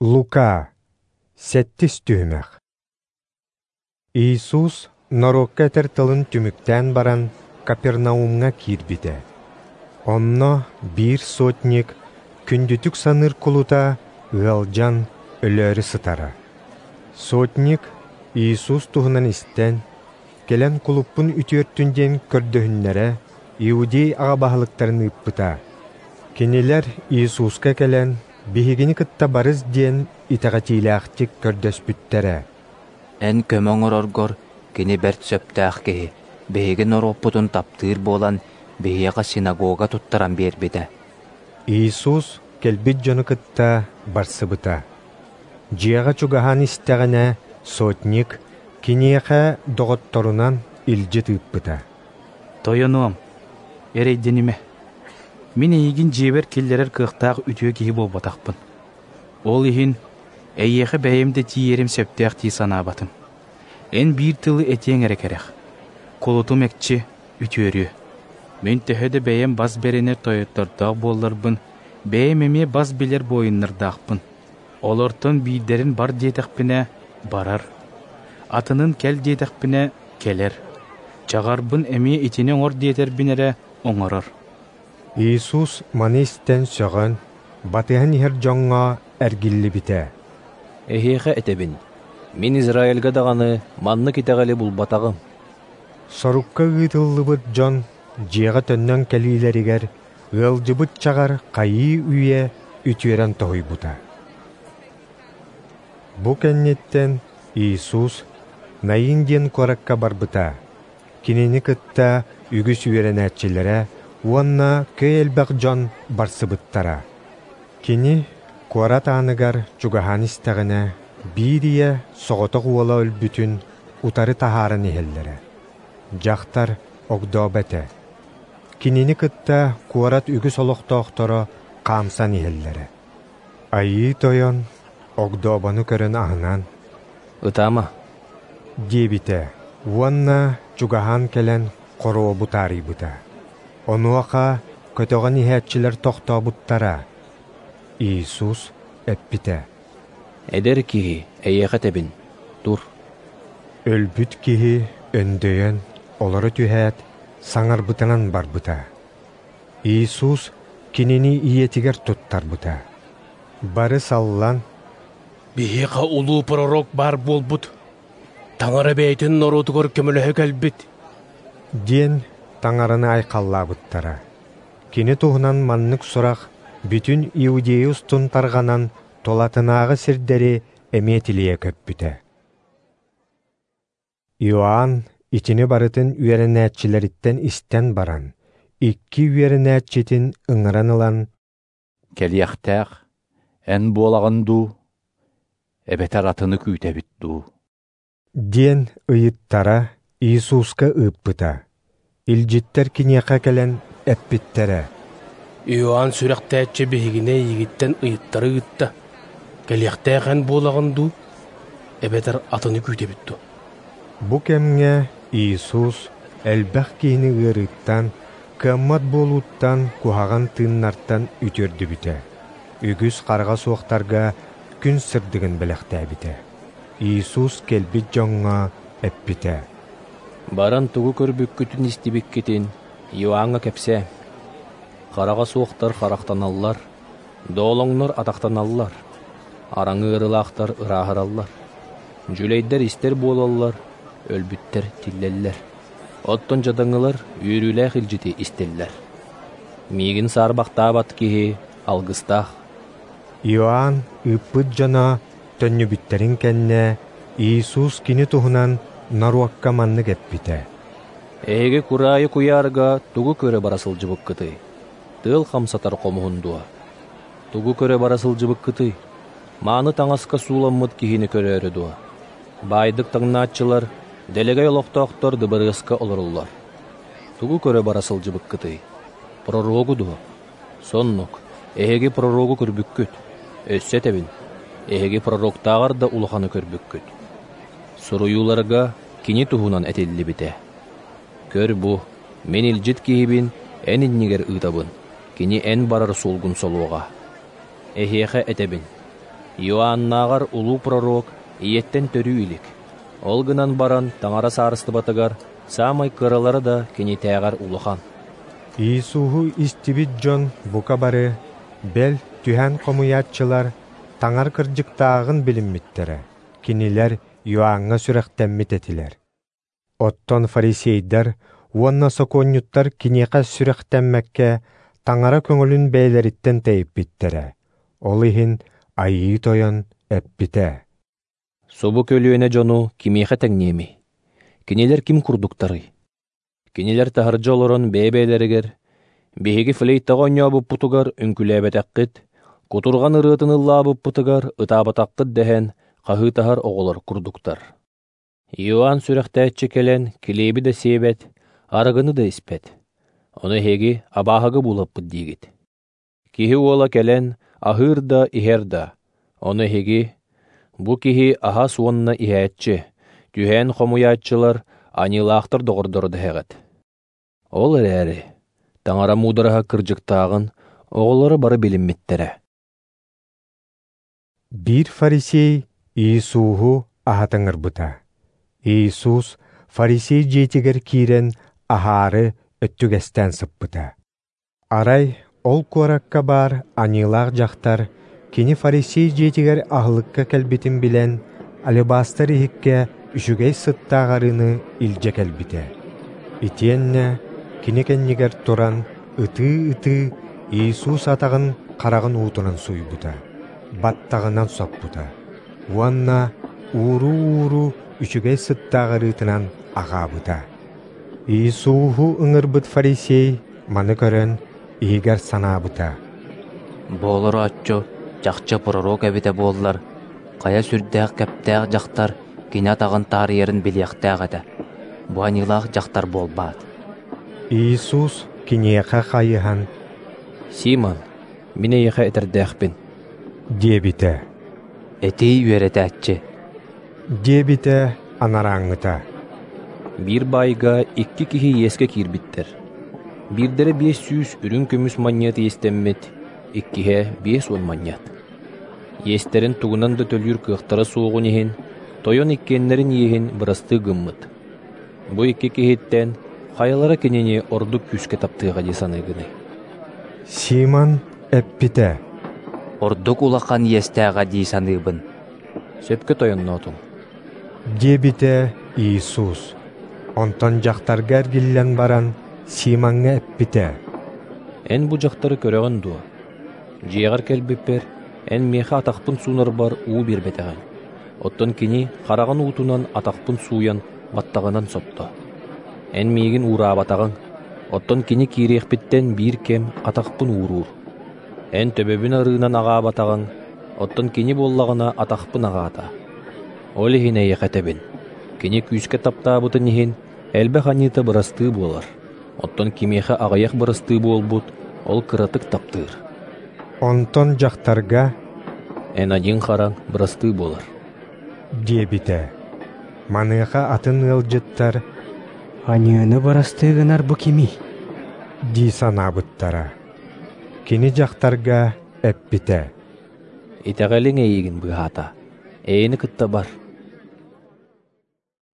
Лука, сэттис түһүмэх. Иисус норуокка этэр тылын түмүктээн баран, Капернаумҥа киирбитэ. Онно биир сотник күндүтүк саныыр кулута ыалдьан өлөөрү сытара. Сотник Иисус туһунан истэн, кэлэн кулуппун үтүөртүн диэн көрдөһүннэрэ, иудей аҕа баһылыктарын ыыппыта. Кинилэр Иисуска кэлэн, биһигини кытта барыс диэн итэҕэтиилээхтик көрдөспүттэрэ. Эн көмө оҥороргор кини бэрт сөптөөх киһи, биһиги норуоппутун таптыыр буолан, биһиэхэ синагога туттаран биэрбитэ. Иисус кэлбит дьону кытта барсыбыта. Дьиэҕэ чугаһаан истэҕинэ, сотник киниэхэ доҕотторунан илдьит ыыппыта. Тойонуом, эрэйдэнимэ. Мин эйигин дьиэбэр киллэрэр кыахтаах үтүө киһи буолбатахпын. Ол иһин эйиэхэ бэйэм да тиийэрим сөптөөх дии санаабатым. Эн биир тылы этиэҥ эрэ кэрэх. Кулутум экчи үтүөрүө. Мин төһө да бэйэм бас бэринэр тойоттордоох буолларбын, бэйэм эмиэ бас билэр буойуннардаахпын. Олортон биирдэрин бар диэтэхпинэ, барар. Атынын кэл диэтэхпинэ, кэлэр. Чаҕарбын эмиэ итини оҥор диэтэрбин эрэ оҥорор. Иисус маны истэн сөҕөн, батыһан иһэр дьоҥҥо эргиллибитэ. Эһиэхэ этэбин, мин Израильга даҕаны маннык итэҕэли булбатаҕым. Сорукка ыытыллыбыт дьон дьиэҕэ төннөн кэлиилэригэр ыалдьыбыт чаҕар хайыы-үйэ үтүөрэн тоһуйбута. Бу кэнниттэн Иисус Наин диэн куоракка барбыта. Кинини кытта үгүс үөрэнээччилэрэ уонна көй элбэх дьон барсыбыттара. Кини куорат ааныгар чугаһаан истэҕинэ, биир ийэ соҕотох уола өлбүтүн утары таһааран иһэллэрэ. Дьахтар огдообо этэ. Кинини кытта куорат үгүс олохтоохторо хаамсан иһэллэрэ. Айыы Тойон огдообону көрөн аһынан, «Ытаама» диэбитэ уонна чугаһаан кэлэн хоруобу таарыйбыта. Онуоха көтөҕөн иһээччилэр тохтообуттара. Иисус эппитэ: «Эдэр киһи, эйиэхэ этэбин, тур». Өлбүт киһи өндөйөн, олоро түһээт, саҥарбытынан барбыта. Иисус кинини ийэтигэр туттарбыта. Бары саллан, «Биһиэхэ улуу пророк баар буолбут, Таҥара бэйэтин норуотугар көмөлөһө кэлбит» диэн Таҥараны айхаллаабыттара. Кини туһунан маннык сурах бүтүн Иудея устун тарҕанан тулатынааҕы сирдэри эмиэ тилийэ көппүтэ. Иоанн итини барытын үөрэнээччилэриттэн истэн баран, икки үөрэнээччитин ыҥыран ылан, «Кэлиэхтээх, эн буолаҕын дуу, эбэтэр атыны күүтэбит дуу?» диэн ыйыттара Иисуска ыыппыта. Илдьиттэр киниэхэ кэлэн эппиттэрэ: «Иоанн сүрэхтээччи биһигини эйигиттэн ыйыттара ыытта. Кэлиэхтээх эн буолаҕын дуу, эбэтэр атыны күүтэбит дуу?» Бу кэмҥэ Иисус элбэх киһини ыарыыттан, кыаммат буолууттан, куһаҕан тыыннартан үтүөрдүбүтэ. Үгүс хараҕа суохтарга күн сырдыгын бэлэхтээбитэ. Иисус кэлбит дьоҥҥо эппитэ: «Баран тугу көрбүккүтүн истибиккитин Иоанҥа кэпсээ. Хараҕа суохтар харахтаналлар, доолоҥнор атахтаналлар, араҥы ыарыылаахтар ырааһыраллар, дьүлэйдэр истэр буолаллар, өлбүттэр тиллэллэр. Оттон дьадаҥылар үөрүүлээх илдьити истэллэр. Миигин саарбахтаабат киһи алгыстаах». Иоанн ыыппыт дьоно төннүбүттэрин кэннэ Иисус кини туһунан норуокка маннык эппитэ: «Эһиги кураайы куйаарга тугу көрө бара сылдьыбыккытый? Тыал хамсатар хомуһун дуо? Тугу көрө бара сылдьыбыккытый? Мааны таҥаска сууламмыт киһини көрөөрү дуо? Баайдык таҥнааччылар, дэлэгэй олохтоохтор дыбарыаска олороллор. Тугу көрө бара сылдьыбыккытый? Пророгу дуо? Соннук, эһиги пророгу көрбүккүт. Өссө этэбин, эһиги пророктааҕар да улаханы көрбүккүт. Суруйууларга кини туһунан этиллибитэ. Көр бу, мин илдьит киһибин эн иннигэр ыытабын, кини эн барар суолгун солуоҕа. Эһиэхэ этэбин, Иоаннааҕар улуу пророк ийэттэн төрүү илик. Ол гынан баран Таҥара Саарыстыбатыгар саамай кыралара да кинитээҕэр улахан. Иисуһу истибит дьон бука бары, бэл, түһээн хомуйааччылар, Таҥара кырдьыктааҕын билиммиттэрэ, кинилэр Иоанҥа сүрэхтэммит этилэр. Оттон фарисейдар уонна сокуонньуттар киниэхэ сүрэхтэммэккэ Таҥара көҥүлүн бэйэлэриттэн тэйиппиттэрэ. Ол иһин Айыы Тойон эппитэ: Субу көлүөнэ дьону кимиэхэ тэҥниэмий? Кинилэр ким курдуктарый? Кинилэр таһырдьа олорон бэйэ-бэйэлэригэр «Биһиги флейтаҕа оонньообуппутугар үҥкүүлээбэтэххит, кутурҕан ырыатын ыллаабыппытыгар ытаабатаххыт» дэһэн хаһыытаһар оҕолор курдуктар. Иоанн сүрэхтээччи кэлэн килиэби да сиэбэт, арыгыны да испэт. Ону эһиги абааһыга буулаппыт диигит. Киһи уола кэлэн аһыыр да иһэр да, ону эһиги «Бу киһи аһас уонна иһээччи, түһээн хомуйааччылар, аньыылаахтар доҕордоро» дэһэҕит. Ол эрээри Таҥара муудараһа кырдьыктааҕын оҕолоро бары билиммиттэрэ. Биир фарисей Иисуһу аһата ыҥырбыта. Иисус фарисей дьиэтигэр киирэн аһаары өттүгэстээн сыппыта. Арай ол куоракка баар аньыылаах дьахтар кини фарисей дьиэтигэр аһылыкка кэлбитин билэн, алебастр иһиккэ үчүгэй сыттаах арыыны илдьэ кэлбитэ. Итиэннэ кини кэннигэр туран ытыы-ытыы Иисус атаҕын хараҕын уутунан сууйбута, баттаҕынан соппута уонна ууруу-ууруу үчүгэй сыттаах арыытынан аҕаабыта. Иисуһу ыҥырбыт фарисей маны көрөн иһигэр санаабыта: Бу олорооччу чахчы пророк эбитэ буоллар, хайа сүрдээх кэптээх дьахтар кини атаҕын таарыйарын билиэхтээх этэ. Бу аньыылаах дьахтар буолбаат. Иисус киниэхэ хайыһан: «Симон, мин эйиэхэ этэрдээхпин» диэбитэ. «Этиий үөрэтээччи» диэбитэ анарааҥҥыта. Биир баайга икки киһи иэскэ киирбиттэр. Биирдэрэ 500 үрүҥ көмүс манньыат иэстэммит, иккиһэ 50 манньыат. Иэстэрин тугунан да төлүүр кыахтара суоҕун иһин, тойон иккиэннэрин иэһин бырастыы гыммыт. Бу икки киһиттэн хайалара кинини ордук күүскэ таптыаҕа дии саныыгыный? Симон эппитэ: «Ордук улахан иэстээҕэ дии саныыбын». Сөпкө тойонноотуҥ, диэбитэ Иисус. Онтон дьахтарга эргиллэн баран Симоҥҥа эппитэ: «Эн бу дьахтары көрөҕүн дуо? Дьиэҕэр кэлбиппэр эн миэхэ атахпын суунарбар уу биэрбэтэҕиҥ. Оттон кини хараҕын уутунан атахпын сууйан баттаҕынан сотто. Эн миигин уураабатаҕыҥ, оттон кини киириэхпиттэн биир кэм атахпын ууруур. Эн төбөбүн арыынан аҕаабатаҕыҥ, оттон кини буоллаҕына атахпын аҕаата. Ол иһин эйиэхэ этэбин, кини күүскэ таптаабытын иһин элбэх аньыыта бырастыы буолар, оттон кимиэхэ аҕыйах бырастыы буолбут, ол кыратык таптыыр». Онтон дьахтарга: «Эн аньыыҥ-хараҥ бырастыы буолар» диэбитэ. Маныаха атын ыалдьыттар: «Аньыыны бырастыы гынар бу кимий?» дии санаабыттара. Кини дьахтарга эппитэ: «Итэҕэлиҥ эйигин быыһаата, эйэни кытта бар».